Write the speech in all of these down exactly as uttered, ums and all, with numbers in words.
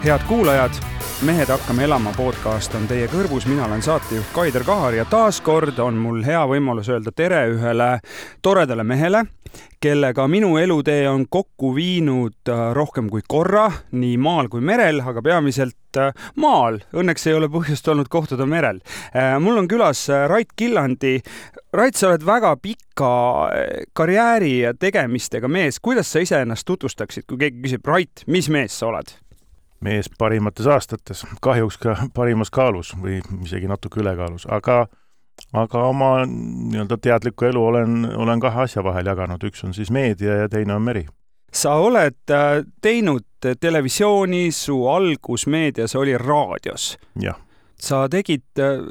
Head kuulajad, Mehed hakkame elama podcast on teie kõrvus, mina olen saatejuht Kaider Kahar ja taaskord on mul hea võimalus öelda tere ühele toredale mehele, kellega minu elutee on kokku viinud rohkem kui korra, nii maal kui merel, aga peamiselt maal. Õnneks ei ole põhjust olnud kohtuda merel. Mul on külas Rait Killandi. Rait, sa oled väga pika karjääri ja tegemistega mees. Kuidas sa ise ennast tutvustaksid, kui keegi küsib, Rait, mis mees sa oled? Mees parimates aastates, kahjuks ka parimas kaalus või isegi natuke ülekaalus, aga, aga oma nii-öelda teadlikku elu olen, olen kahe asja vahel jaganud. Üks on siis meedia ja teine on meri. Sa oled teinud televisiooni, su algus meedias oli raadios. Jah. Sa tegid,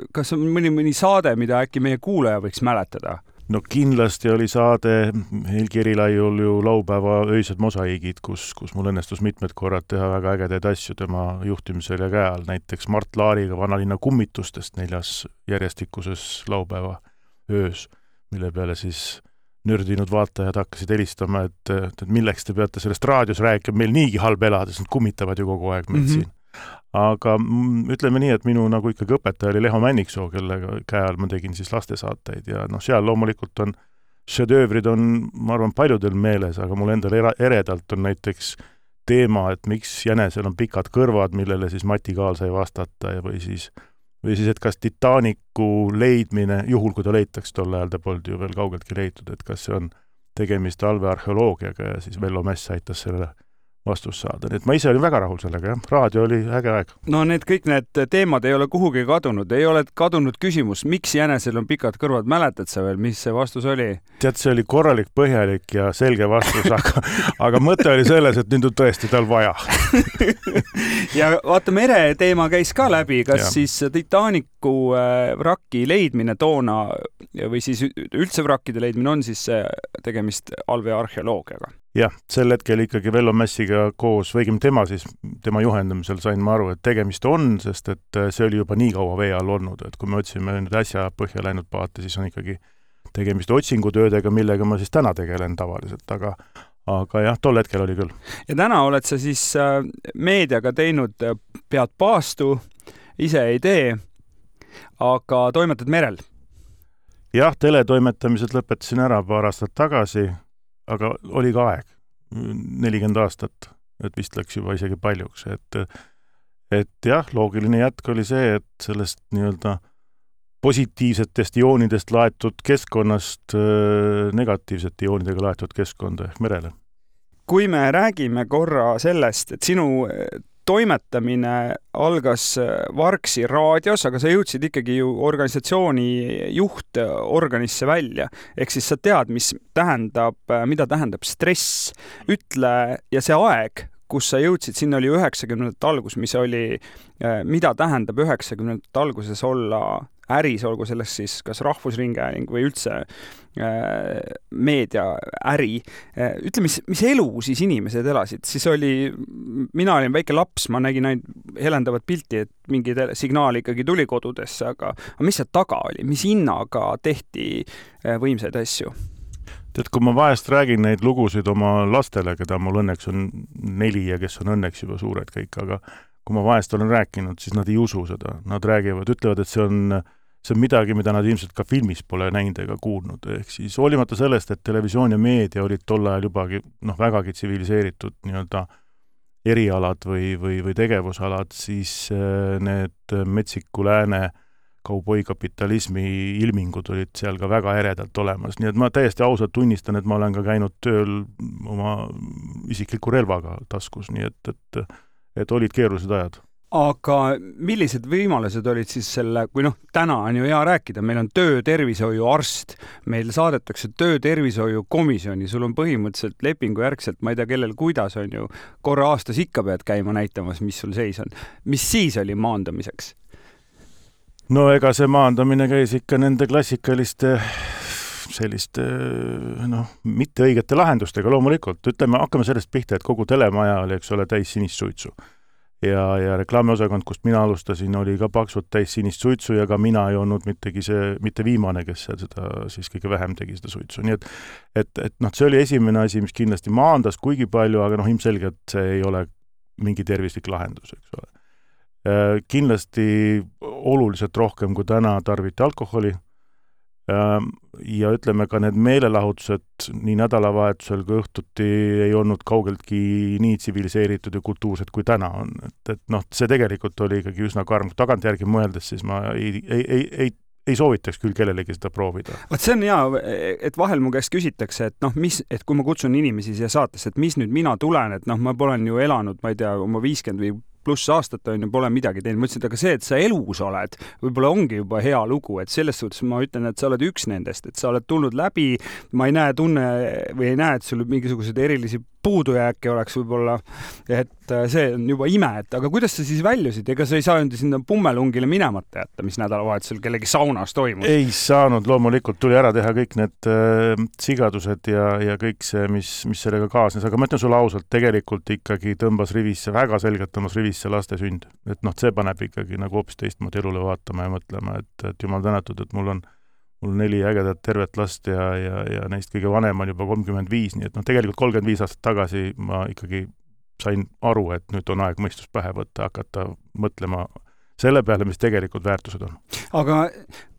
kas on mõni, mõni saade, mida äkki meie kuulaja võiks mäletada? No kindlasti oli saade Helgi Erilaiul ju laupäeva öised mosaiigid, kus, kus mul õnnestus mitmed korrad teha väga ägedaid asju tema juhtimisel ja käe all. Näiteks Mart Laariga Vanalinna kummitustest neljas järjestikuses laupäeva öös, mille peale siis nördinud vaatajad hakkasid helistama, et, et milleks te peate sellest raadios rääkima, meil niigi halb elada, sest nad kummitavad ju kogu aeg meil mm-hmm. siin. Aga ütleme nii, et minu nagu ikkagi õpetaja oli Leho Männiksoo, kellega käe all ma tegin siis lastesaateid ja noh, seal loomulikult on šedöövrid on, ma arvan, paljudel meeles, aga mul endal eredalt on näiteks teema, et miks jänesel on pikad kõrvad, millele siis Mati Kaal sai vastata ja või siis, või siis, et kas Titanicu leidmine, juhul kui ta leitaks tol ajal, ta polnud ju veel kaugeltki leitud, et kas see on tegemist alvearheoloogiaga ja siis Vello Mess aitas selle vastus saada. Nii et ma ise olin väga rahul sellega, jah. Raadio oli äge aeg. No need kõik need teemad ei ole kuhugi kadunud. Ei ole kadunud küsimus, miks jänesel on pikad kõrvad. Mäletad sa veel, mis see vastus oli? Tead, see oli korralik, põhjalik ja selge vastus, aga, aga mõte oli selles, et nüüd on tõesti tal vaja. Ja vaata, mere teema käis ka läbi. Kas ja. Siis Titanicu vraki leidmine toona või siis üldse vrakkide leidmine on siis tegemist alvearheoloogiaga? Jah, sel hetkel ikkagi Vello Messiga koos, võigim tema siis, tema juhendamisel sain ma aru, et tegemist on, sest et see oli juba nii kaua vee all olnud, et kui me otsime nüüd äsja põhja läinud paate, siis on ikkagi tegemist otsingutöödega, millega ma siis täna tegelen tavaliselt, aga, aga jah, tol hetkel oli küll. Ja täna oled sa siis meediaga teinud pead paastu, ise ei tee, aga toimetad merel? Jah, teletoimetamised lõpetasin ära paar aastat tagasi, aga oli ka aeg, nelikümmend aastat, et vist läks juba isegi paljuks, et, et jah, loogiline jätk oli see, et sellest nii-öelda positiivsetest joonidest laetud keskkonnast negatiivsete joonidega laetud keskkonda ehk merele. Kui me räägime korra sellest, et sinu toimetamine algas Varksi raadios, aga sa jõudsid ikkagi ju organisatsiooni juhtorganisse välja. Ehk siis sa tead, mis tähendab, mida tähendab stress. Ütle, ja see aeg, kus sa jõudsid, sinna oli üheksakümnendate algus, mis oli, mida tähendab üheksakümnendate alguses olla äris, olgu sellest siis kas rahvusringhääling või üldse meedia äri. Ütle, mis, mis elu siis inimesed elasid? Siis oli, mina olin väike laps, ma nägin ainult helendavat pilti, et mingi signaal ikkagi tuli kodudesse, aga, aga mis see taga oli? Mis hinnaga tehti võimsaid asju? Tead, kui ma vahest räägin neid lugusid oma lastele, keda mul õnneks on neli ja kes on õnneks juba suured kõik, aga kui ma vahest olen rääkinud, siis nad ei usu seda. Nad räägivad, ütlevad, et see on see on midagi, mida nad ilmselt ka filmis pole näinud ega kuulnud. Ehk siis hoolimata sellest, et televisioon ja meedia olid tol ajal jubagi noh, vägagi tsiviliseeritud nii-öelda erialad või, või, või tegevusalad, siis need metsiku lääne kauboikapitalismi ilmingud olid seal ka väga eredalt olemas. Nii et ma täiesti ausalt tunnistan, et ma olen ka käinud tööl oma isikliku relvaga taskus, nii et, et, et olid keerulised ajad. Aga millised võimalused olid siis selle, kui noh, täna on ju hea rääkida, meil on töötervishoiu arst, meil saadetakse töötervishoiu komisjoni, sul on põhimõtteliselt lepingu järgselt, ma ei tea, kellel kuidas on ju, korra aastas ikka pead käima näitamas, mis sul seis on. Mis siis oli maandamiseks? No ega see maandamine käis ikka nende klassikaliste selliste, noh, mitte õigete lahendustega loomulikult. Ütleme, hakkame sellest pihta, et kogu telemaja oli, eks ole, täis sinist suitsu. Ja, ja reklaamiosakond, kust mina alustasin, oli ka paksult täis sinist suitsu ja ka mina ei olnud mittegi see, mitte viimane, kes seda siis kõige vähem tegi seda suitsu. Nii et, et, et noh, see oli esimene asi, mis kindlasti maandas kuigi palju, aga noh, ilmselgelt see ei ole mingi tervislik lahendus, eks ole. Kindlasti oluliselt rohkem kui täna tarviti alkoholi ja ütleme ka need meelelahutused nii nädalavahetusel kui õhtuti ei olnud kaugeltki nii tsiviliseeritud ja kultuursed kui täna on. Et, et noh, see tegelikult oli ikkagi üsna karm. Tagantjärgi mõeldes siis ma ei, ei, ei, ei ei soovitaks küll kellelegi seda proovida. Vaat see on hea, et vahel mu käest küsitakse, et noh, mis, et kui ma kutsun inimesi siia saatesse, et mis nüüd mina tulen, et noh, ma olen ju elanud, ma ei tea, oma viiskümmend või pluss aastat on ju, pole midagi teinud. Mõtlesin, et aga see, et sa elus oled, võib-olla ongi juba hea lugu, et selles suhtes ma ütlen, et sa oled üks nendest, et sa oled tulnud läbi, ma ei näe tunne või ei näe, et sul mingisuguseid erilisi puudujääke oleks võib-olla, et see on juba ime, et aga kuidas sa siis väljusid? Ega sa ei saanud sinna pummelungile minemata jätta, mis nädalavahetusel kellegi saunas toimus? Ei saanud, loomulikult tuli ära teha kõik need äh, sigadused ja, ja kõik see, mis, mis sellega kaasnes, aga ma ütlen sulle ausalt, tegelikult ikkagi tõmbas rivisse, väga selgelt tõmbas rivisse laste sünd. Et noh, see paneb ikkagi nagu hoopis teistmoodi elule vaatama ja mõtlema, et, et jumal tänatud, et mul on mul on neli ägedat tervet last ja, ja, ja neist kõige vanem on juba kolmkümmend viis, nii et noh, tegelikult kolmkümmend viis aastat tagasi ma ikkagi sain aru, et nüüd on aeg mõistus pähe võtta, hakata mõtlema selle peale, mis tegelikult väärtused on. Aga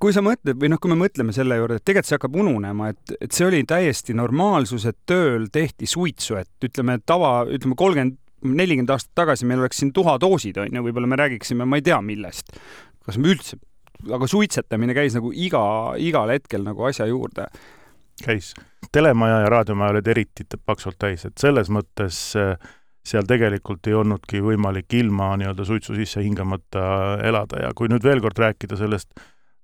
kui sa mõtled, või noh, kui me mõtleme selle juurde, et tegelikult see hakkab ununema, et, et see oli täiesti normaalsus, et tööl tehti suitsu, et ütleme tava, ütleme kolmkümmend, nelikümmend aastat tagasi meil oleks siin tuhadoosid, on ju, võib-olla me räägiksime, ma ei tea millest, kas me üldse aga suitsetamine käis nagu iga, igal hetkel nagu asja juurde. Käis. Telemaja ja raadiomaja olid eriti paksult täis, et selles mõttes seal tegelikult ei olnudki võimalik ilma nii-öelda suitsu sisse hingamata elada ja kui nüüd veel kord rääkida sellest,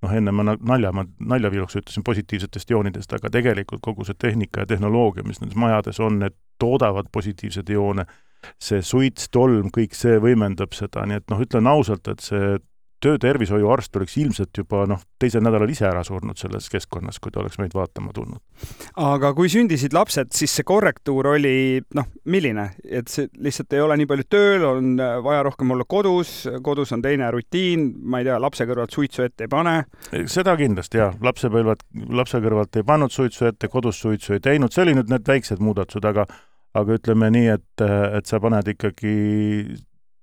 noh enne ma nalja, ma naljaviiluks ütlesin positiivsetest joonidest, aga tegelikult kogu see tehnika ja tehnoloogia, mis nendes majades on, need toodavad positiivsed joone, see suits, tolm, kõik see võimendab seda, nii et noh, ütlen ausalt, et see töötervishoiuarst oleks ilmselt juba noh, teisel nädalal ise ära surnud selles keskkonnas, kui ta oleks meid vaatama tulnud. Aga kui sündisid lapsed, siis see korrektuur oli noh, milline? Et see lihtsalt ei ole nii palju tööl, on vaja rohkem olla kodus, kodus on teine rutiin, ma ei tea, lapse kõrvalt suitsu ette ei pane? Seda kindlasti, jah. Lapse, põlvad, lapse kõrvalt ei pannud suitsu ette, kodus suitsu ei teinud, see oli nüüd need väiksed muudatused, aga, aga ütleme nii, et, et sa paned ikkagi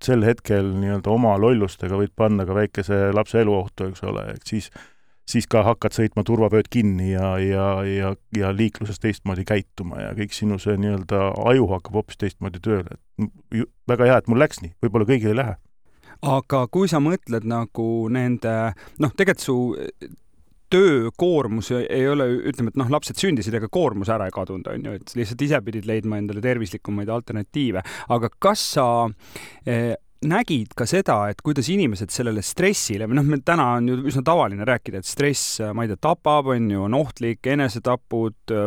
sel hetkel nii-öelda oma lollustega võid panna ka väikese lapse eluohtu, eks ole, et siis, siis ka hakkad sõitma turvavööd kinni ja, ja, ja, ja liikluses teistmoodi käituma ja kõik sinu see nii-öelda aju hakkab hoopis teistmoodi tööle. Väga hea, et mul läks nii, võib-olla kõigil ei lähe. Aga kui sa mõtled nagu nende, noh, tegelikult su töökoormus ei ole, ütleme, et noh, lapsed sündisid, ega koormus ära ei kadunud, on ju, et lihtsalt ise pidid leidma endale tervislikumaid alternatiive. Aga kas sa eh, nägid ka seda, et kuidas inimesed sellele stressile, või noh, meil täna on ju üsna tavaline rääkida, et stress, ma ei tea, tapab, on ju, on ohtlik, enesetapud,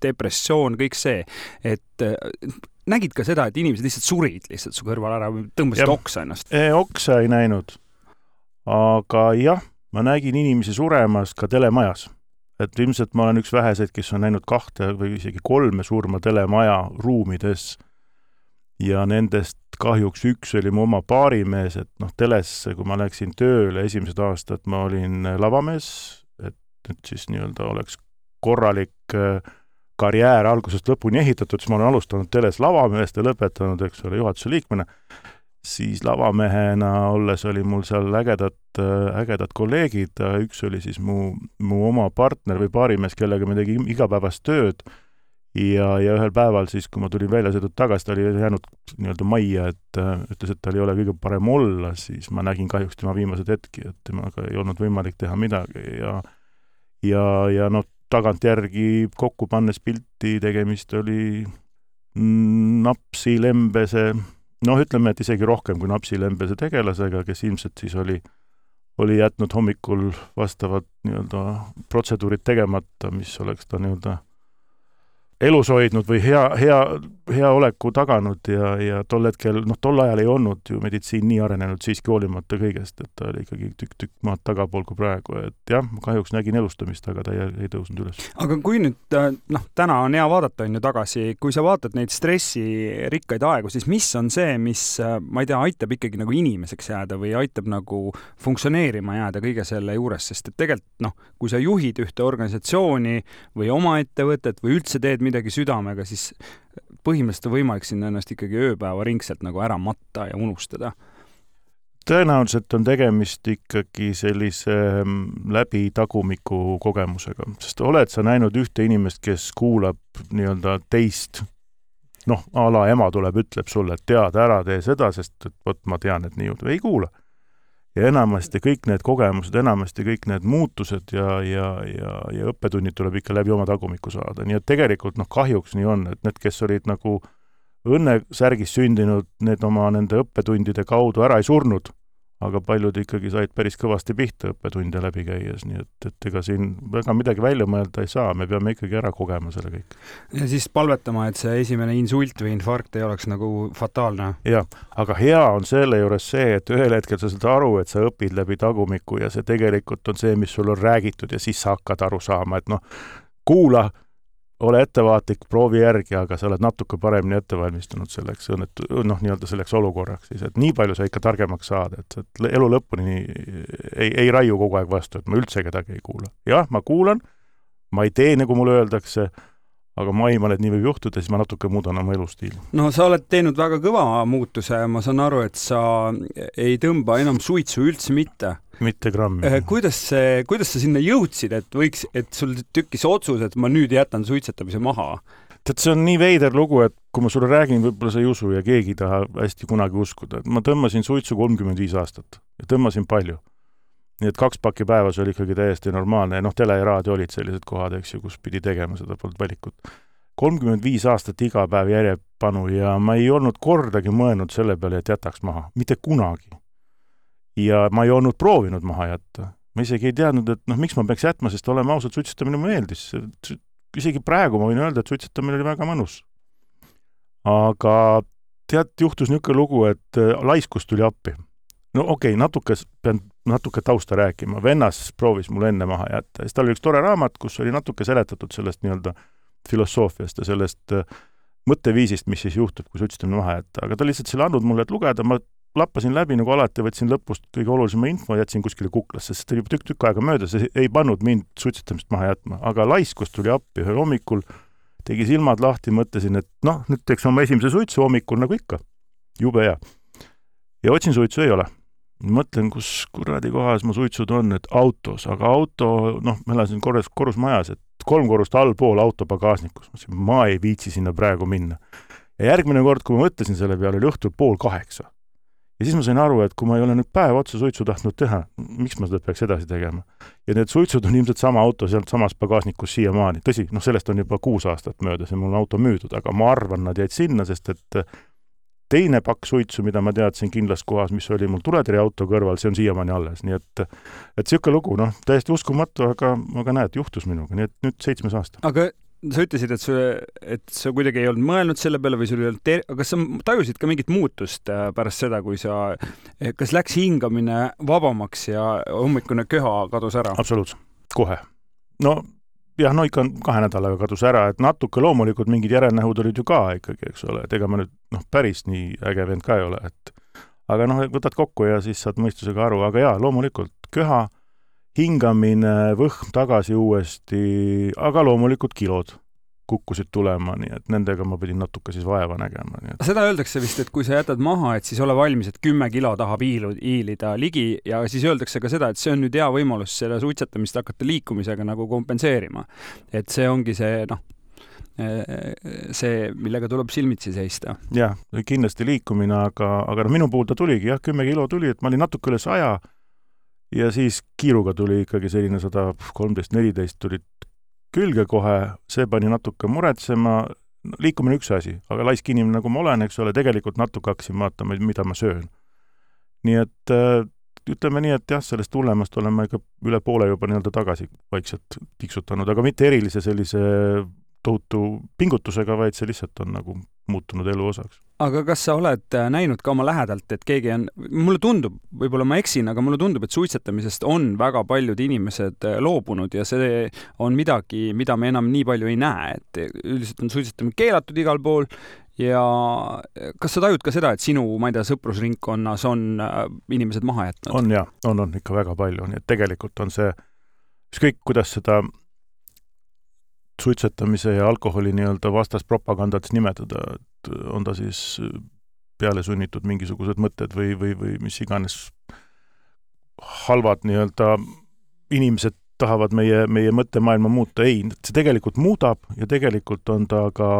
depressioon, kõik see, et nägid ka seda, et inimesed lihtsalt surid lihtsalt su kõrval ära või tõmbasid ja, oksa ennast? Oksa ei näinud, aga jah, ma nägin inimesi suremas ka telemajas. Et ilmselt ma olen üks väheseid, kes on näinud kahte või isegi kolme surma telemaja ruumides ja nendest kahjuks üks oli mu oma paarimees, et noh, teles, kui ma läksin tööle esimesed aastad, ma olin lavamees, et nüüd siis nii-öelda oleks korralik karjäär algusest lõpuni ehitatud, siis ma olen alustanud teles lavameest ja lõpetanud, eks ole, juhatuse liikmena. Siis lavamehena olles oli mul seal ägedad, ägedad kolleegid, üks oli siis mu, mu oma partner või paarimees, kellega me tegi igapäevast tööd ja, ja ühel päeval siis, kui ma tulin välja sõidud tagasi, ta oli jäänud nii-öelda majja, et ütles, et tal ei ole kõige parem olla, siis ma nägin kahjuks tema viimased hetki, et temaga ei olnud võimalik teha midagi ja, ja, ja noh, tagantjärgi kokku pannes pilti tegemist oli napsi lembese noh, ütleme, et isegi rohkem kui napsilembese tegelasega, kes ilmselt siis oli, oli jätnud hommikul vastavad nii-öelda protseduurid tegemata, mis oleks ta nii-öelda elus hoidnud või hea, hea, hea oleku taganud ja, ja tol hetkel, noh, tol ajal ei olnud ju meditsiin nii arenenud siiski hoolimata kõigest, et ta oli ikkagi tükk-tükk maad tagapool kui praegu, et jah, kahjuks nägin elustamist, aga ta ei, ei tõusnud üles. Aga kui nüüd, noh, täna on hea vaadata on ju tagasi, kui sa vaatad neid stressirikkaid aegu, siis mis on see, mis, ma ei tea, aitab ikkagi nagu inimeseks jääda või aitab nagu funktsioneerima jääda kõige selle juures, sest et tegelikult, noh, kui sa juhid ühte organisatsiooni või oma ettevõtet või üldse teed midagi südamega, siis põhimõtteliselt on võimalik sinna ennast ikkagi ööpäeva ringselt nagu ära matta ja unustada? Tõenäoliselt on tegemist ikkagi sellise läbi tagumiku kogemusega, sest oled sa näinud ühte inimest, kes kuulab nii-öelda teist, noh, ala ema tuleb, ütleb sulle, et tead, ära tee seda, sest et võt, ma tean, et nii juhtu, ei kuula. Ja enamasti kõik need kogemused, enamasti kõik need muutused ja, ja, ja, ja õppetunnid tuleb ikka läbi oma tagumiku saada. Nii et tegelikult noh, kahjuks nii on, et need, kes olid nagu õnnesärgis sündinud, need oma nende õppetundide kaudu ära ei surnud, aga paljud ikkagi said päris kõvasti pihta õppetunde läbi käies, nii et, et ega siin väga midagi välja mõelda ei saa, me peame ikkagi ära kogema selle kõik. Ja siis palvetama, et see esimene insult või infarkt ei oleks nagu fataalne. Jah, aga hea on selle juures see, et ühel hetkel sa saad aru, et sa õpid läbi tagumiku ja see tegelikult on see, mis sul on räägitud ja siis sa hakkad aru saama, et noh, kuula, ole ettevaatlik, proovi järgi, aga sa oled natuke paremini ettevalmistunud selleks, õnnetu, noh, nii-öelda selleks olukorraks siis, et nii palju sa ikka targemaks saad, et, et elu lõpuni ei, ei raiu kogu aeg vastu, et ma üldse kedagi ei kuula. Jah, ma kuulan, ma ei tee, nagu mulle öeldakse, aga ma aiman, et nii võib juhtuda, siis ma natuke muudan oma elustiili. No sa oled teinud väga kõva muutuse ja ma saan aru, et sa ei tõmba enam suitsu üldse mitte. Mitte grammi. Kuidas, see, kuidas sa sinna jõudsid, et võiks, et sul tükkis otsus, et ma nüüd jätan suitsetamise maha? Tead, see on nii veider lugu, et kui ma sulle räägin, võib-olla sa ei usu ja keegi ei taha hästi kunagi uskuda. Ma tõmbasin suitsu kolmkümmend viis aastat ja tõmbasin palju. Nii et kaks pakki päevas oli ikkagi täiesti normaalne ja noh, tele ja raadio olid sellised kohad, eks ju, kus pidi tegema seda polnud valikut. kolmkümmend viis aastat iga päev järjepanu ja ma ei olnud kordagi mõelnud selle peale, et jätaks maha. Mitte kunagi. Ja ma ei olnud proovinud maha jätta. Ma isegi ei teadnud, et noh, miks ma peaks jätma, sest olema ausalt, suitsetamine mu meeldis. Isegi praegu ma võin öelda, et suitsetamine oli väga mõnus. Aga tead, juhtus niisugune lugu, et laiskus tuli appi. No okei, okay, natuke, pean natuke tausta rääkima. Vennas proovis mul enne maha jätta. Ja tal oli üks tore raamat, kus oli natuke seletatud sellest nii-öelda filosoofiast ja sellest mõtteviisist, mis siis juhtub, kui suitsetamine maha jätta. Aga ta lihtsalt selle andnud mulle, et lugeda, ma lappasin läbi nagu alati, võtsin lõpust kõige olulisema info ja jätsin kuskile kuklasse, sest oli tükk-tükk aega mööda, see ei pannud mind suitsetamist maha jätma. Aga laiskus tuli appi ühel hommikul, tegi silmad lahti, mõtlesin, et noh, nüüd teeks oma esimese suitsu hommikul nagu ikka. Jube hea. Ja otsin suitsu ei ole. Mõtlen, kus kuradi kohas mu suitsud on, et autos, aga auto, noh, ma elasin korrus, korrusmajas, et kolm korrust allpool auto pagaasnikus. Ma ei viitsi sinna praegu minna. Ja järgmine kord, kui ma mõtlesin selle peale, oli õhtul pool kaheksa. Ja siis ma sain aru, et kui ma ei ole nüüd päev otsa suitsu tahtnud teha, miks ma seda peaks edasi tegema? Ja need suitsud on ilmselt sama auto sealt samas pagaasnikus siiamaani. Tõsi, noh, sellest on juba kuus aastat mööda, see mul on auto müüdud, aga ma arvan, nad jäid sinna, sest et teine pakk suitsu, mida ma teadsin kindlas kohas, mis oli mul tuletõrje auto kõrval, see on siiamaani alles. Nii et, et siuke lugu, noh, täiesti uskumatu, aga, aga näed, juhtus minuga, nii et nüüd seitsmes aasta. Aga sa ütlesid, et, su, et sa kuidagi ei olnud mõelnud selle peale või sul ei olnud ter-, aga sa tajusid ka mingit muutust pärast seda, kui sa, kas läks hingamine vabamaks ja hommikune köha kadus ära? Absoluutselt, kohe. No jah, no ikka kahe nädalaga kadus ära, et natuke loomulikult mingid järelnähud olid ju ka ikkagi, eks ole, et ega ma nüüd noh, päris nii äge vend ka ei ole, et aga noh, võtad kokku ja siis saad mõistusega aru, aga jaa, loomulikult köha, hingamine, võhm tagasi uuesti, aga loomulikult kilod kukkusid tulema, nii et nendega ma pidin natuke siis vaeva nägema. Nii et... Seda öeldakse vist, et kui sa jätad maha, et siis ole valmis, et kümme kilo tahab hiilida ligi ja siis öeldakse ka seda, et see on nüüd hea võimalus selle suitsetamist hakata liikumisega nagu kompenseerima. Et see ongi see, noh, see, millega tuleb silmitsi seista. Jah, kindlasti liikumine, aga, aga no, minu puhul ta tuligi, jah, kümme kilo tuli, et ma olin natuke üle saja ja siis kiiruga tuli ikkagi selline sada kolmteist neliteist tulid külge kohe, see pani natuke muretsema, liikumine üks asi, aga laisk inimene nagu ma olen, eks ole, tegelikult natuke hakkasin vaatama, mida ma söön. Nii et ütleme nii, et jah, sellest hullemast olen ma ikka üle poole juba nii-öelda tagasi vaikselt tiksutanud, aga mitte erilise sellise tohutu pingutusega, vaid see lihtsalt on nagu muutunud elu osaks. Aga kas sa oled näinud ka oma lähedalt, et keegi on, mulle tundub, võib-olla ma eksin, aga mulle tundub, et suitsetamisest on väga paljud inimesed loobunud ja see on midagi, mida me enam nii palju ei näe, et üldiselt on suitsetamine keelatud igal pool ja kas sa tajud ka seda, et sinu, ma ei tea, sõprusringkonnas on inimesed maha jätnud? On jah, on, on ikka väga palju, nii et tegelikult on see, ükskõik kuidas seda suitsetamise ja alkoholi nii-öelda vastaspropagandats nimetada, et on ta siis peale sunnitud mingisugused mõtted või, või, või mis iganes halvad nii-öelda inimesed tahavad meie, meie mõttemaailma muuta. Ei, see tegelikult muudab ja tegelikult on ta ka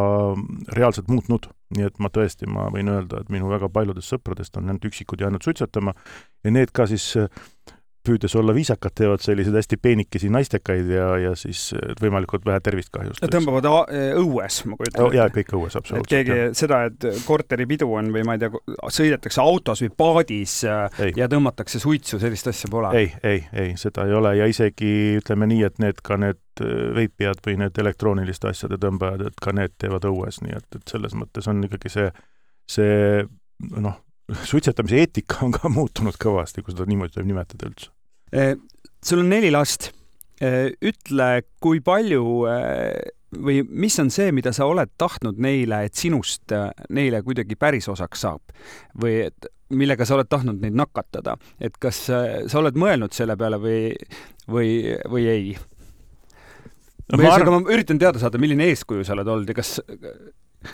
reaalselt muutnud. Nii et ma tõesti, ma võin öelda, et minu väga paljudest sõpradest on need üksikud jäänud suitsetama ja need ka siis püüdes olla viisakad, teevad sellised hästi peenikesi naistekaid ja, ja siis võimalikult vähe tervist kahjust. Tõmbavad õues, ma kujutan. Jaa, kõik õues, absoluutselt. Et keegi jah. Seda, et korteripidu on või ma ei tea, sõidetakse autos või paadis ei. Ja tõmmatakse suitsu, sellist asja pole. Ei, ei, ei, seda ei ole ja isegi ütleme nii, et need ka need veipijad või need elektrooniliste asjade tõmbajad, et ka need teevad õues, nii et, et selles mõttes on ikkagi see, see noh, suitsetamise eetika on ka muutunud kõvasti, kui seda niimoodi võib nimetada üldse. Sul on neli last. Ütle, kui palju või mis on see, mida sa oled tahtnud neile, et sinust neile kuidagi päris osaks saab? Või et, millega sa oled tahtnud neid nakatada? Et kas sa oled mõelnud selle peale või, või, või ei? No, või ma, arv... ma üritan teada saada, milline eeskuju sa oled olnud ja kas...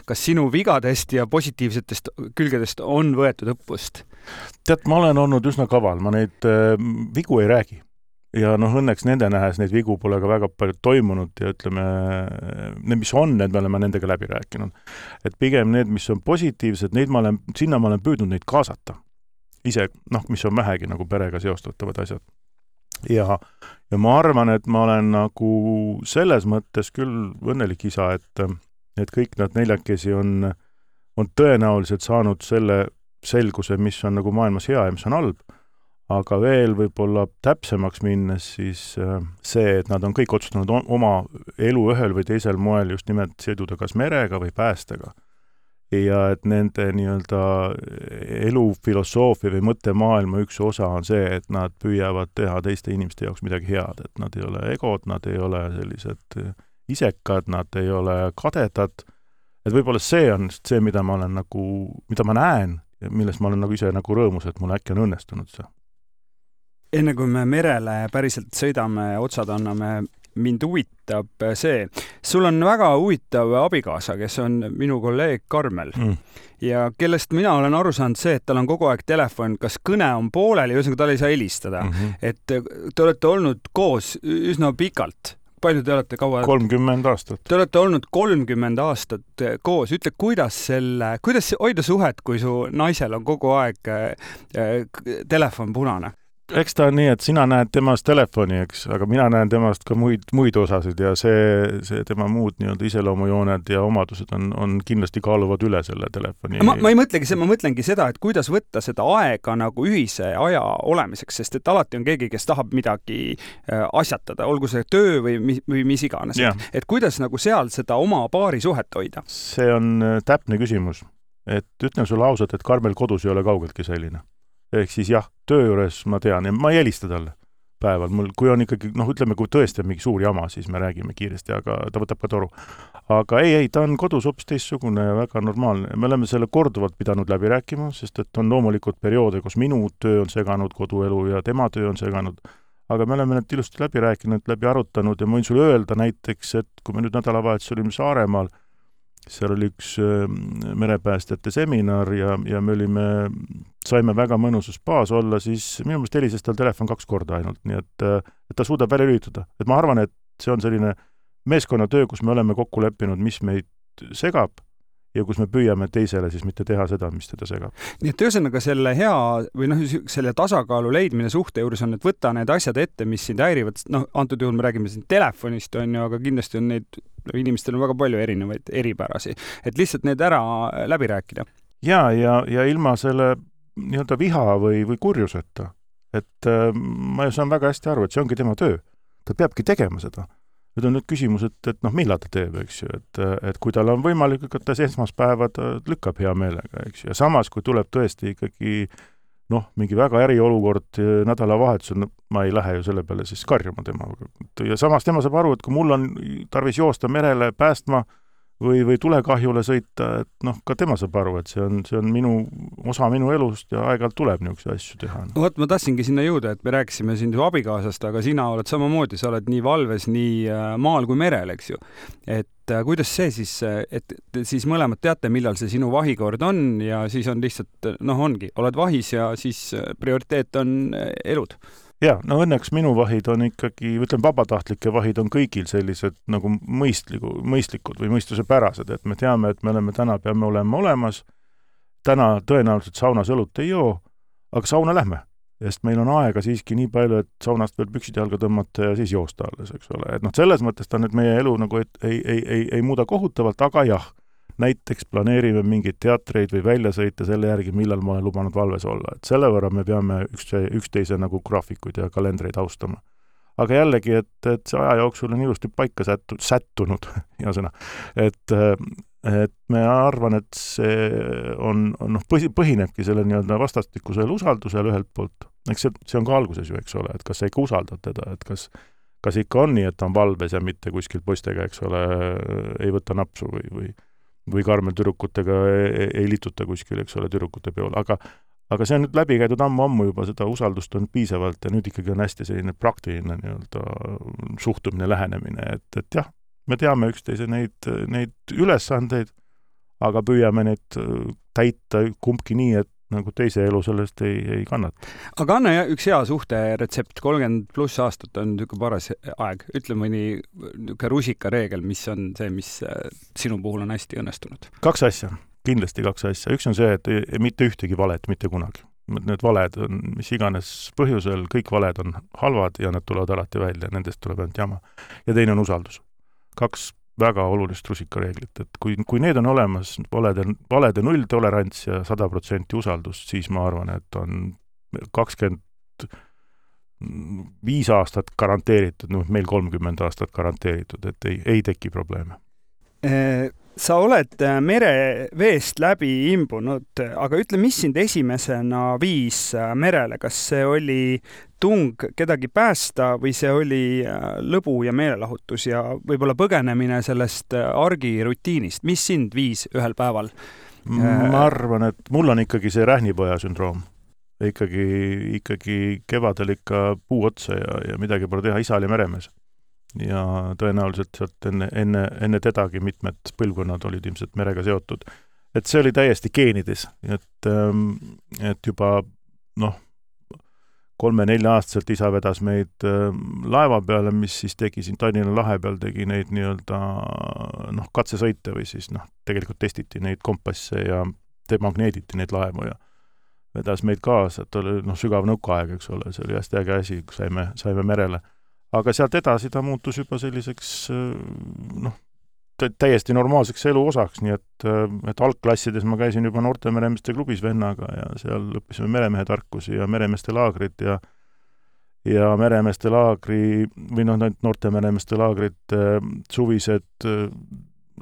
Kas sinu vigadest ja positiivsetest külgedest on võetud õppust? Tead, ma olen olnud üsna kaval, ma neid äh, vigu ei räägi. Ja noh, õnneks nende nähes neid vigu pole ka väga palju toimunud ja ütleme, need, mis on, need me oleme nendega läbi rääkinud. Et pigem need, mis on positiivsed, neid ma olen, sinna ma olen püüdnud neid kaasata. Ise, noh, mis on vähegi nagu perega seostatavad asjad. Ja, ja ma arvan, et ma olen nagu selles mõttes küll õnnelik isa, et et kõik nad neljakesi on, on tõenäoliselt saanud selle selguse, mis on nagu maailmas hea ja mis on halb, aga veel võib-olla täpsemaks minnes siis see, et nad on kõik otsustanud oma elu ühel või teisel moel just nimelt seduda kas merega või päästega. Ja et nende nii-öelda elufilosoofia või mõttemaailma üks osa on see, et nad püüavad teha teiste inimeste jaoks midagi head, et nad ei ole egod, nad ei ole sellised isekad, nad ei ole kadedad, et võib-olla see on see, mida ma olen nagu, mida ma näen ja millest ma olen nagu ise nagu rõõmus, et mul äkki on õnnestunud see. Enne kui me merele päriselt sõidame, otsad anname, mind huvitab see. Sul on väga huvitav abikaasa, kes on minu kolleeg Karmel mm. ja kellest mina olen aru saanud see, et tal on kogu aeg telefon, kas kõne on pooleli, ühesõnaga tal ei saa helistada. Mm-hmm. Et te olete olnud koos üsna pikalt. Palju te olete kaua? kolmkümmend aastat. Te olete olnud kolmkümmend aastat koos. Ütle, kuidas selle, kuidas hoida suhet, kui su naisel on kogu aeg äh, telefon punane? Eks ta on nii, et sina näed temast telefoni, eks, aga mina näen temast ka muid, muid osasid ja see, see tema muud nii-öelda iseloomujooned ja omadused on, on kindlasti kaaluvad üle selle telefoni. Ma, ma ei mõtlegi, ma mõtlengi seda, et kuidas võtta seda aega nagu ühise aja olemiseks, sest et alati on keegi, kes tahab midagi asjatada, olgu see töö või, või mis iganes. Et, et kuidas nagu seal seda oma paari suhet hoida? See on täpne küsimus. Et ütlen sulle ausalt, et Karmel kodus ei ole kaugeltki selline. Ehk siis jah, töö juures ma tean ja ma ei helista talle päeval. Mul, kui on ikkagi, noh ütleme, kui tõesti on mingi suur jama, siis me räägime kiiresti, aga ta võtab ka toru. Aga ei, ei, ta on kodus hoopis teistsugune ja väga normaalne. Me oleme selle korduvalt pidanud läbi rääkima, sest et on loomulikult perioode, kus minu töö on seganud koduelu ja tema töö on seganud. Aga me oleme need ilusti läbi rääkinud, läbi arutanud ja ma võin sulle öelda näiteks, et kui me nüüd nädalavahetus olime Saaremaal, seal oli üks merepäästjate seminar ja, ja me olime, saime väga mõnusus baas olla, siis minu meelest helises tal telefon kaks korda ainult, nii et, et ta suudab välja lülitada. Et ma arvan, et see on selline meeskonnatöö, kus me oleme kokku leppinud, mis meid segab ja kus me püüame teisele siis mitte teha seda, mis teda segab. Nii et ühesõnaga selle hea või noh, selle tasakaalu leidmine suhte juures on, et võtta need asjad ette, mis sind häirivad. Noh, antud juhul me räägime siin telefonist, on ju, aga kindlasti on neid, inimestel on väga palju erinevaid eripärasi. Et lihtsalt need ära läbi rääkida. Ja, ja, ja ilma selle nii-öelda viha või, või kurjuseta. Et äh, ma saan väga hästi aru, et see ongi tema töö. Ta peabki tegema seda. Nüüd on nüüd küsimus, et, et noh, millal ta teeb, eks ju, et, et kui tal on võimalik, et ta esmaspäeva ta lükkab hea meelega, eks ju, ja samas, kui tuleb tõesti ikkagi noh, mingi väga eriolukord nädalavahetusel, no, ma ei lähe ju selle peale siis karjuma tema. Ja samas tema saab aru, et kui mul on tarvis joosta merele päästma või, või tulekahjule sõita, et noh, ka tema saab aru, et see on, see on minu, osa minu elust ja aeg-ajalt tuleb niisuguseid asju teha. Vot ma tahtsingi sinna jõuda, et me rääkisime siin ju abikaasast, aga sina oled samamoodi, sa oled nii valves, nii maal kui merel, eks ju. Et kuidas see siis, et siis mõlemad teate, millal see sinu vahikord on ja siis on lihtsalt, noh ongi, oled vahis ja siis prioriteet on elud. Ja, no õnneks minu vahid on ikkagi, ütlen, vabatahtlike vahid on kõigil sellised nagu mõistliku, mõistlikud või mõistusepärased, et me teame, et me oleme täna, peame olema olemas, täna tõenäoliselt saunas õlut ei joo, aga sauna lähme, sest meil on aega siiski nii palju, et saunast veel püksid jalga tõmmata ja siis joosta alles, eks ole. Et noh, selles mõttes ta nüüd meie elu nagu et ei, ei, ei, ei muuda kohutavalt, aga jah, näiteks planeerime mingeid teatreid või väljasõite selle järgi, millal ma olen lubanud valves olla. Et selle võrra me peame üks, üksteise nagu graafikuid ja kalendreid austama. Aga jällegi, et, et see aja jooksul on ilusti paika sättu, sättunud, hea sõna. Et, et me arvan, et see on, on noh, põhi, põhinebki selle nii-öelda vastastikusel usaldusel ühelt poolt. Eks see, see on ka alguses ju, eks ole, et kas sa ikka usaldad teda, et kas, kas ikka on nii, et ta on valves ja mitte kuskil poistega, eks ole, ei võta napsu või, või või Karmel tüdrukutega ei, ei lituta kuskil, eks ole, tüdrukute peol, aga, aga see on nüüd läbi käidud ammu-ammu juba, seda usaldust on piisavalt ja nüüd ikkagi on hästi selline praktiline nii-öelda suhtumine, lähenemine, et, et jah, me teame üksteise neid, neid ülesandeid, aga püüame neid täita kumbki nii, et nagu teise elu sellest ei, ei kannata. Aga anna üks hea suhte retsept, kolmkümmend pluss aastat on niisugune paras aeg. Ütle mõni niisugune rusika reegel, mis on see, mis sinu puhul on hästi õnnestunud? Kaks asja, kindlasti kaks asja. Üks on see, et mitte ühtegi valet, mitte kunagi. Need valed on, mis iganes põhjusel, kõik valed on halvad ja nad tulevad alati välja, nendest tuleb ainult jama. Ja teine on usaldus. Kaks väga olulist rusikareeglit, et kui, kui need on olemas, valede, valede null tolerants ja sada protsenti usaldust, siis ma arvan, et on kakskümmend viis aastat garanteeritud, no meil kolmkümmend aastat garanteeritud, et ei, ei teki probleeme. Sa oled mereveest läbi imbunud, aga ütle, mis sind esimesena viis merele? Kas see oli tung kedagi päästa või see oli lõbu ja meelelahutus ja võib-olla põgenemine sellest argirutiinist? Mis sind viis ühel päeval? Ma arvan, et mul on ikkagi see rähnipoja sündroom. Ikkagi, ikkagi kevadel ikka puu otsa ja, ja midagi pole teha, isa oli meremees. Ja tõenäoliselt sealt enne, enne, enne tedagi mitmed põlvkonnad olid ilmselt merega seotud. Et see oli täiesti geenides, et, et juba noh, kolme-nelja aastaselt isa vedas meid laeva peale, mis siis tegi siin Tallinna lahe peal, tegi neid nii-öelda noh, katsesõite või siis noh, tegelikult testiti neid kompasse ja demagneediti neid laevu ja vedas meid kaasa, et oli noh, sügav nõukaaeg, eks ole, see oli hästi äge asi, kui saime, saime merele. Aga sealt edasi ta muutus juba selliseks noh, täiesti normaalseks elu osaks, nii et, et algklassides ma käisin juba noorte meremeeste klubis vennaga ja seal õppisime meremehe tarkusi ja meremeeste laagrid ja ja meremeeste laagri või noh, noorte meremeeste laagrid suvised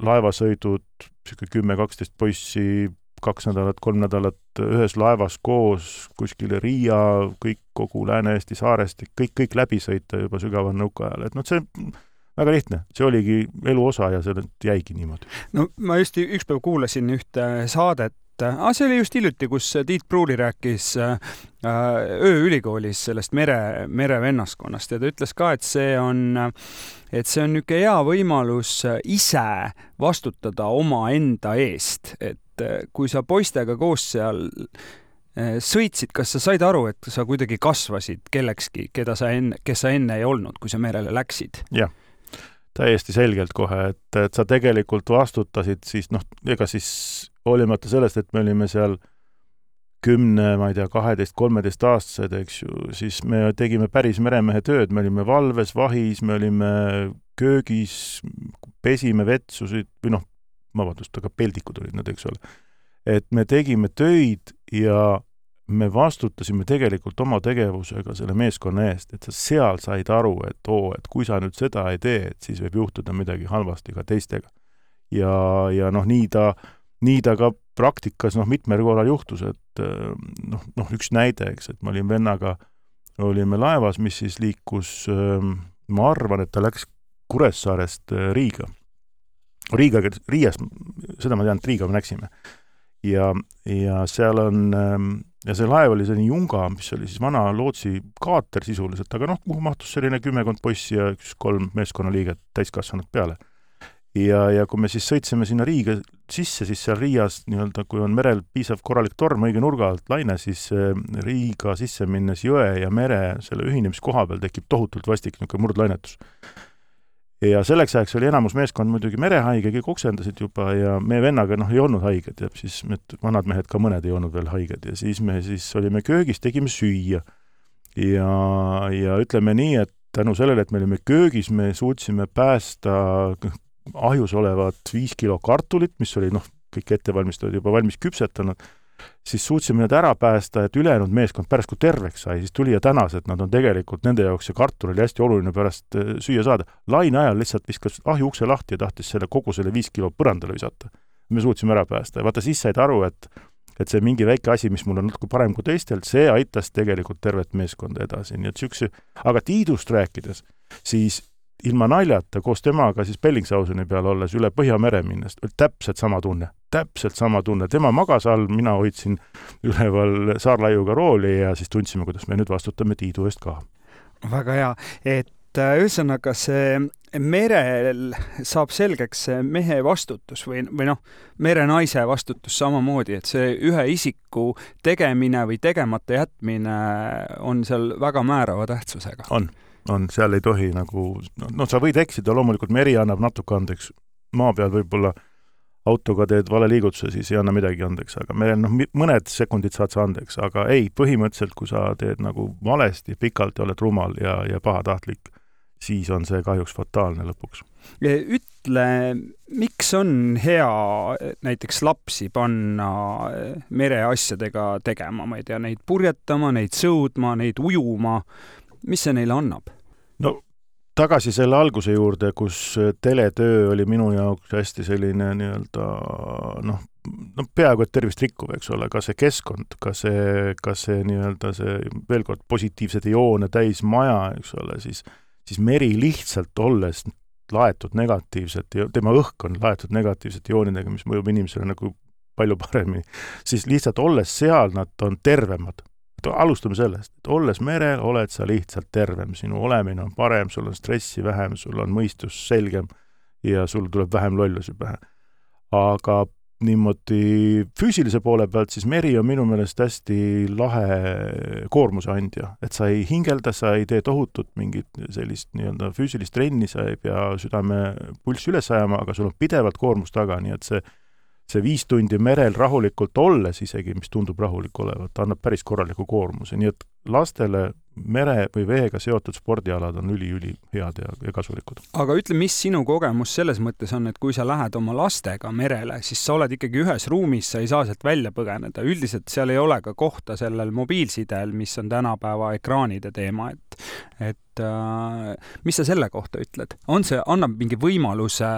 laevasõidud, kümme kaksteist poissi, kaks nädalat, kolm nädalat ühes laevas koos, kuskile Riia, kõik kogu Lääne-Eesti saarest, kõik, kõik läbi sõita juba sügaval nõukaajal. Et noh, see väga lihtne. See oligi elu osa ja see jäigi niimoodi. No ma just üks päev kuulasin ühte saadet, ah, see oli just hiljuti, kus Tiit Pruuli rääkis ööülikoolis sellest mere, merevennaskonnast ja ta ütles ka, et see on, et see on niisugune hea võimalus ise vastutada oma enda eest, et kui sa poistega koos seal sõitsid, kas sa said aru, et sa kuidagi kasvasid kellekski, keda sa enne, kes sa enne ei olnud, kui sa merele läksid? Jah, täiesti selgelt kohe, et, et sa tegelikult vastutasid siis, noh, ega siis hoolimata sellest, et me olime seal kümne, ma ei tea, kaheteist, kolmeteist aastased, eks ju, siis me tegime päris meremehe tööd, me olime valves, vahis, me olime köögis, pesime vetsusid, või noh, vabandust, aga peldikud olid nad, eks ole. Et me tegime töid ja me vastutasime tegelikult oma tegevusega selle meeskonna eest, et sa seal said aru, et oo, et kui sa nüüd seda ei tee, et siis võib juhtuda midagi halvasti ka teistega. Ja, ja noh, nii ta, nii ta ka praktikas noh, mitmel korral juhtus, et noh, noh, üks näide, eks, et ma olin vennaga, olime laevas, mis siis liikus, ma arvan, et ta läks Kuressaarest Riiga. Riigaga, Riias, seda ma tean, et Riiga me läksime. Ja, ja seal on, ja see laev oli selline Junga, mis oli siis vana Lootsi kaater sisuliselt, aga noh, kuhu mahtus selline kümmekond poissi ja üks kolm meeskonnaliiget täiskasvanud peale. Ja, ja kui me siis sõitsime sinna Riiga sisse, siis seal Riias nii-öelda, kui on merel piisav korralik torm õige nurga alt laine, siis Riiga sisse minnes jõe ja mere selle ühinemiskoha peal tekib tohutult vastik niisugune murdlainetus. Ja selleks ajaks oli enamus meeskond muidugi merehaige, kõik oksendasid juba ja me vennaga noh, ei olnud haiged ja siis need vanad mehed ka mõned ei olnud veel haiged ja siis me siis olime köögis, tegime süüa ja, ja ütleme nii, et tänu sellele, et me olime köögis, me suutsime päästa ahjus olevat viis kilo kartulit, mis oli noh, kõik ettevalmistajad juba valmis küpsetanud, siis suutsime need ära päästa, et ülejäänud meeskond pärast kui terveks sai, siis tuli ja tänas, et nad on tegelikult nende jaoks see kartul oli hästi oluline pärast süüa saada. Laine ajal lihtsalt viskas ahju ukse lahti ja tahtis selle kogu selle viis kilo põrandale visata. Me suutsime ära päästa ja vaata siis said aru, et, et see mingi väike asi, mis mul on natuke parem kui teistelt, see aitas tegelikult tervet meeskonda edasi. Nii et sükse, aga Tiidust rääkides, siis ilma naljata koos temaga siis Bellingsauseni peal olles üle Põhjamere minnes, täpselt sama tunne, täpselt sama tunne. Tema magas all, mina hoidsin üleval saarlaiuga rooli ja siis tundsime, kuidas me nüüd vastutame Tiidu eest ka. Väga hea, et ühesõnaga see merel saab selgeks see mehe vastutus või, või noh, merenaise vastutus samamoodi, et see ühe isiku tegemine või tegemata jätmine on seal väga määrava tähtsusega. On. on, seal ei tohi nagu, no sa võid eksida, loomulikult meri annab natuke andeks, maa peal võib-olla autoga teed vale liigutuse, siis ei anna midagi andeks, aga meil noh, mõned sekundid saad sa andeks, aga ei, põhimõtteliselt, kui sa teed nagu valesti, pikalt ja oled rumal ja, ja pahatahtlik, siis on see kahjuks fataalne lõpuks. Ütle, miks on hea näiteks lapsi panna mereasjadega tegema, ma ei tea, neid purjetama, neid sõudma, neid ujuma, mis see neile annab? No tagasi selle alguse juurde, kus teletöö oli minu jaoks hästi selline nii-öelda, noh, no peaaegu et tervist rikkuv, eks ole, ka see keskkond, ka see, ka see nii-öelda see veel kord positiivsed joone täis maja, eks ole, siis, siis meri lihtsalt olles laetud negatiivselt, tema õhk on laetud negatiivsete joonidega, mis mõjub inimesele nagu palju paremini, siis lihtsalt olles seal nad on tervemad. Alustame sellest, et olles merel, oled sa lihtsalt tervem, sinu olemine on parem, sul on stressi vähem, sul on mõistus selgem ja sul tuleb vähem lollusi pähe. Aga niimoodi füüsilise poole pealt, siis meri on minu meelest hästi lahe koormuse andja, et sa ei hingelda, sa ei tee tohutut mingit sellist nii-öelda füüsilist trenni, sa ei pea südame pulssi üles ajama, aga sul on pidevalt koormus taga, nii et see see viis tundi merel rahulikult olles isegi, mis tundub rahulik olevat, annab päris korraliku koormuse. Nii et lastele mere või veega seotud spordialad on üli-üli head ja, ja kasulikud. Aga ütle, mis sinu kogemus selles mõttes on, et kui sa lähed oma lastega merele, siis sa oled ikkagi ühes ruumis, sa ei saa sealt välja põgeneda. Üldiselt seal ei ole ka kohta sellel mobiilsidel, mis on tänapäeva ekraanide teema. Et, et äh, mis sa selle kohta ütled? On see, annab mingi võimaluse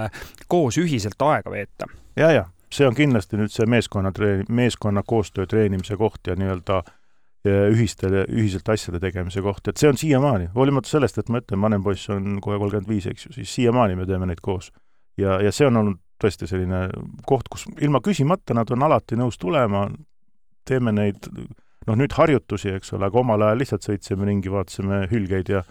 koos ühiselt aega veeta? Ja, ja. See on kindlasti nüüd see meeskonna, treeni, meeskonna koostöö treenimise koht ja nii-öelda ühiste, ühiselt asjade tegemise koht. Et see on siiamaani, hoolimata sellest, et ma ütlen, vanem poiss on kohe kolmkümmend viis, eks ju, siis siiamaani me teeme neid koos. Ja, ja see on olnud tõesti selline koht, kus ilma küsimata nad on alati nõus tulema, teeme neid, noh nüüd harjutusi, eks ole, aga omal ajal lihtsalt sõitsime ringi, vaatasime hülgeid ja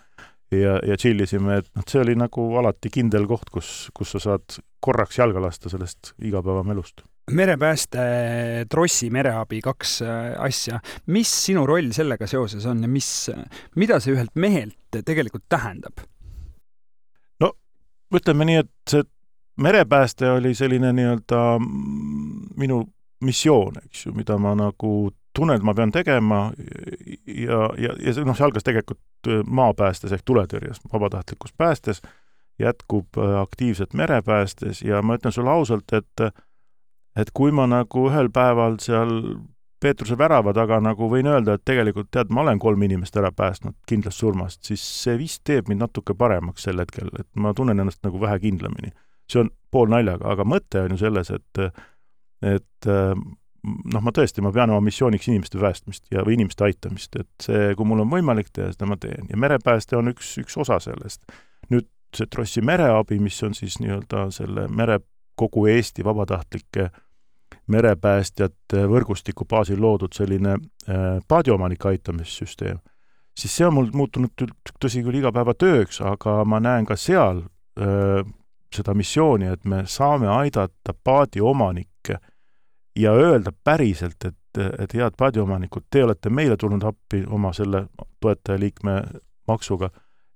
ja, ja chillisime, et noh, see oli nagu alati kindel koht, kus, kus sa saad korraks jalga lasta sellest igapäevamelust. Merepääste, trossi, mereabi, kaks asja. Mis sinu roll sellega seoses on ja mis, mida see ühelt mehelt tegelikult tähendab? No, ütleme nii, et see merepääste oli selline nii-öelda minu missioon, eks ju, mida ma nagu tunnen, et ma pean tegema ja, ja, ja noh, see algas tegelikult maapäästes ehk tuletõrjes, vabatahtlikus päästes, jätkub aktiivselt merepäästes ja ma ütlen sulle ausalt, et, et kui ma nagu ühel päeval seal Peetruse värava taga nagu võin öelda, et tegelikult tead, ma olen kolm inimest ära päästnud kindlast surmast, siis see vist teeb mind natuke paremaks sel hetkel, et ma tunnen ennast nagu vähe kindlamini. See on pool naljaga, aga mõte on ju selles, et, et noh, ma tõesti, ma pean oma missiooniks inimeste päästmist ja või inimeste aitamist, et see, kui mul on võimalik teha, seda ma teen. Ja merepääste on üks, üks osa sellest. Nüüd see trossi mereabi, mis on siis nii-öelda selle mere kogu Eesti vabatahtlike merepäästjate võrgustiku baasil loodud selline paadiomanike aitamissüsteem, siis see on mul muutunud tõsi küll igapäeva tööks, aga ma näen ka seal öö, seda missiooni, et me saame aidata paadiomanikke ja öelda päriselt, et, et head paadiomanikud, te olete meile tulnud appi oma selle toetajaliikme maksuga,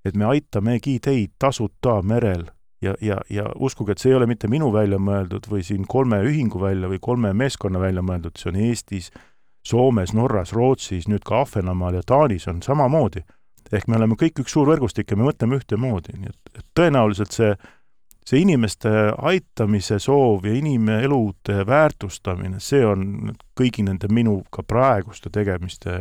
et me aitamegi teid tasuta merel ja, ja, ja uskuge, et see ei ole mitte minu välja mõeldud või siin kolme ühingu välja või kolme meeskonna välja mõeldud, see on Eestis, Soomes, Norras, Rootsis, nüüd ka Ahvenamaal ja Taanis on samamoodi. Ehk me oleme kõik üks suur võrgustik ja me mõtleme ühte moodi. Nii et, et tõenäoliselt see, see inimeste aitamise soov ja inimelude väärtustamine, see on kõigi nende minu ka praeguste tegemiste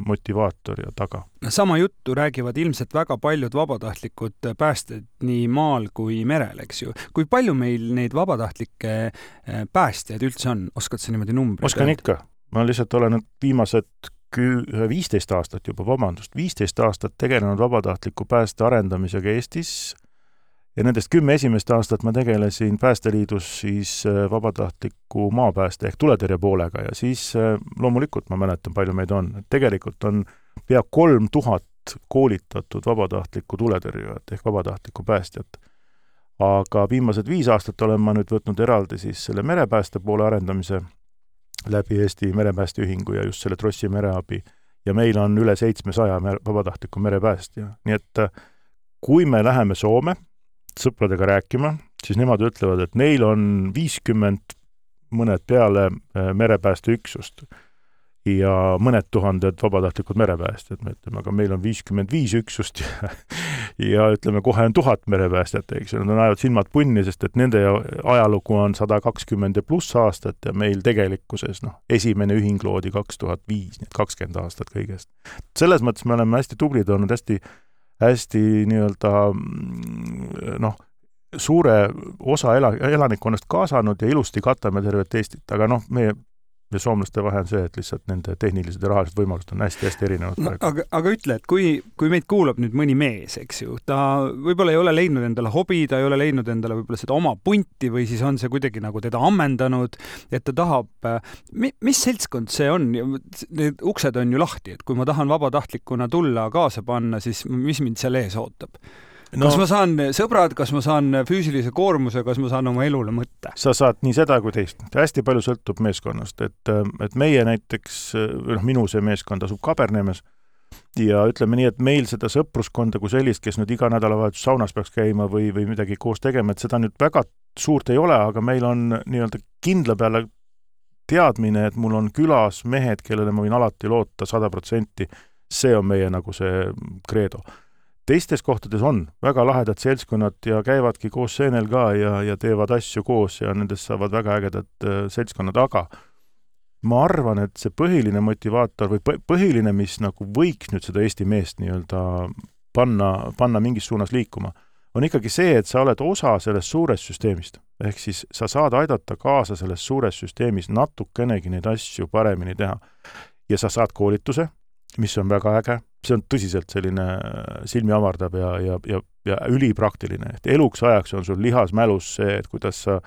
motivaator ja taga. Sama juttu räägivad ilmselt väga paljud vabatahtlikud päästjad nii maal kui merel, eks ju. Kui palju meil neid vabatahtlikke päästjaid üldse on? Oskad sa niimoodi numbri? Oskan ikka. Ma lihtsalt olen viimased viisteist aastat juba, vabandust, viisteist aastat tegelenud vabatahtliku pääste arendamisega Eestis ja nendest kümme esimest aastat ma tegelesin Päästeliidus siis vabatahtliku maapääste ehk tuletõrje poolega ja siis loomulikult ma mäletan, palju meid on. Tegelikult on pea kolm tuhat koolitatud vabatahtliku tuletõrjujat ehk vabatahtliku päästjat. Aga viimased viis aastat olen ma nüüd võtnud eraldi siis selle merepääste poole arendamise läbi Eesti merepäästeühingu ja just selle Trossi mereabi. Ja meil on üle seitsmesaja vabatahtliku merepäästja. Nii et kui me läheme Soome sõpradega rääkima, siis nemad ütlevad, et neil on viiskümmend mõned peale merepäästeüksust ja mõned tuhanded vabatahtlikud merepäästjad. Me ütleme, aga meil on viiskümmend viis üksust ja, ja ütleme, kohe on tuhat merepäästjat, eks. Nad on ajavad silmad punni, sest et nende ajalugu on sada kakskümmend pluss aastat ja meil tegelikkuses noh, esimene ühing loodi kaks tuhat viis, nii et kakskümmend aastat kõigest. Selles mõttes me oleme hästi tublid olnud, hästi, hästi nii-öelda noh, suure osa elanikkonnast kaasanud ja ilusti katame tervet Eestit, aga noh, meie ja soomlaste vahe on see, et lihtsalt nende tehnilised ja rahalised võimalused on hästi-hästi erinevad. No, aga, aga ütle, et kui, kui meid kuulab nüüd mõni mees, eks ju, ta võib-olla ei ole leidnud endale hobi, ta ei ole leidnud endale võib-olla seda oma punti või siis on see kuidagi nagu teda ammendanud, et ta tahab, mis seltskond see on? Need uksed on ju lahti, et kui ma tahan vabatahtlikuna tulla kaasa panna, siis mis mind seal ees ootab? No, kas ma saan sõbrad, kas ma saan füüsilise koormuse, kas ma saan oma elule mõtte? Sa saad nii seda kui teist. Hästi palju sõltub meeskonnast, et, et meie näiteks, noh, minu see meeskond asub Kabernemes ja ütleme nii, et meil seda sõpruskonda kui sellist, kes nüüd iga nädalavahetus saunas peaks käima või, või midagi koos tegema, et seda nüüd väga suurt ei ole, aga meil on nii-öelda kindla peale teadmine, et mul on külas mehed, kellele ma võin alati loota sada protsenti. See on meie nagu see kreedo. Teistes kohtades on väga lahedad seltskonnad ja käivadki koos seenel ka ja, ja teevad asju koos ja nendest saavad väga ägedad seltskonnad, aga ma arvan, et see põhiline motivaator või põhiline, mis nagu võiks nüüd seda Eesti meest nii-öelda panna, panna mingis suunas liikuma, on ikkagi see, et sa oled osa sellest suurest süsteemist. Ehk siis sa saad aidata kaasa selles suures süsteemis natukenegi neid asju paremini teha. Ja sa saad koolituse, mis on väga äge. See on tõsiselt selline silmi avardab ja, ja, ja, ja ülipraktiline. Et eluks ajaks on sul lihas mälus see, et kuidas sa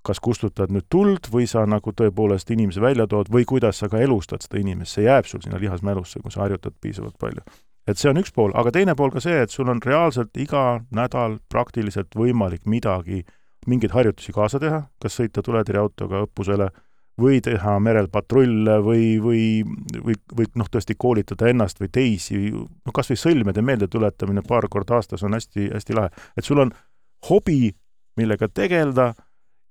kas kustutad nüüd tuld või sa nagu tõepoolest inimese välja tood või kuidas sa ka elustad seda inimest. See jääb sul sinna lihas mälusse, kui sa harjutad piisavalt palju. Et see on üks pool, aga teine pool ka see, et sul on reaalselt iga nädal praktiliselt võimalik midagi, mingeid harjutusi kaasa teha, kas sõita tuletõrjeautoga õppusele või teha merel patrulle või, või, või, või noh, tõesti koolitada ennast või teisi, no kas või sõlmede meelde tuletamine paar kord aastas on hästi, hästi lahe. Et sul on hobi, millega tegelda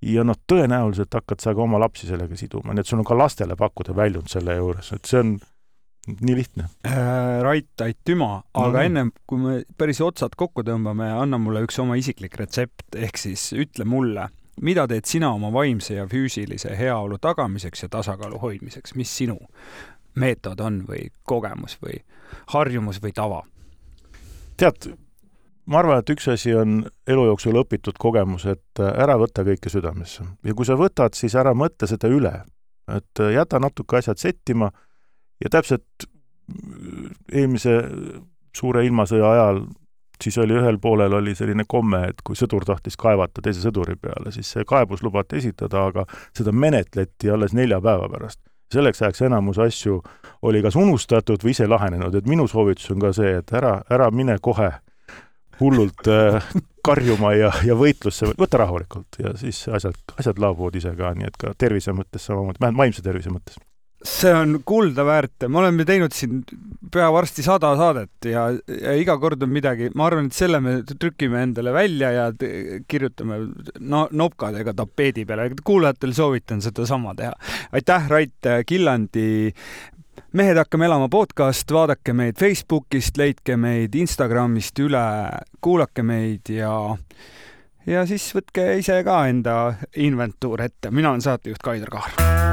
ja noh, tõenäoliselt hakkad sa ka oma lapsi sellega siduma, nii et sul on ka lastele pakkuda väljund selle juures, et see on nii lihtne. Rait, aitüma, aga no, ennem kui me päris otsad kokku tõmbame, anna mulle üks oma isiklik retsept, ehk siis ütle mulle, mida teed sina oma vaimse ja füüsilise heaolu tagamiseks ja tasakaalu hoidmiseks? Mis sinu meetod on või kogemus või harjumus või tava? Tead, ma arvan, et üks asi on elu jooksul õpitud kogemus, et ära võtta kõike südamesse. Ja kui sa võtad, siis ära mõtle seda üle. Et jäta natuke asjad settima ja täpselt eelmise suure ilmasõja ajal siis oli ühel poolel oli selline komme, et kui sõdur tahtis kaevata teise sõduri peale, siis see kaebus lubati esitada, aga seda menetleti alles nelja päeva pärast. Selleks ajaks enamus asju oli kas unustatud või ise lahenenud, et minu soovitus on ka see, et ära, ära mine kohe hullult äh, karjuma ja, ja võitlusse, võta rahulikult ja siis asjad, asjad laabuvad ise ka, nii et ka tervise mõttes samamoodi, vähemalt vaimse tervise mõttes. See on kulda väärt. Me oleme teinud siin pea varsti sada saadet ja, ja iga kord on midagi. Ma arvan, et selle me trükime endale välja ja kirjutame no, nopkadega tapeedi peale. Kuulajatel soovitan seda sama teha. Aitäh, Rait Killandi. Mehed hakkame elama podcast. Vaadake meid Facebookist, leidke meid Instagramist üle, kuulake meid ja, ja siis võtke ise ka enda inventuur ette. Mina olen saatejuht Kaidar Kahar.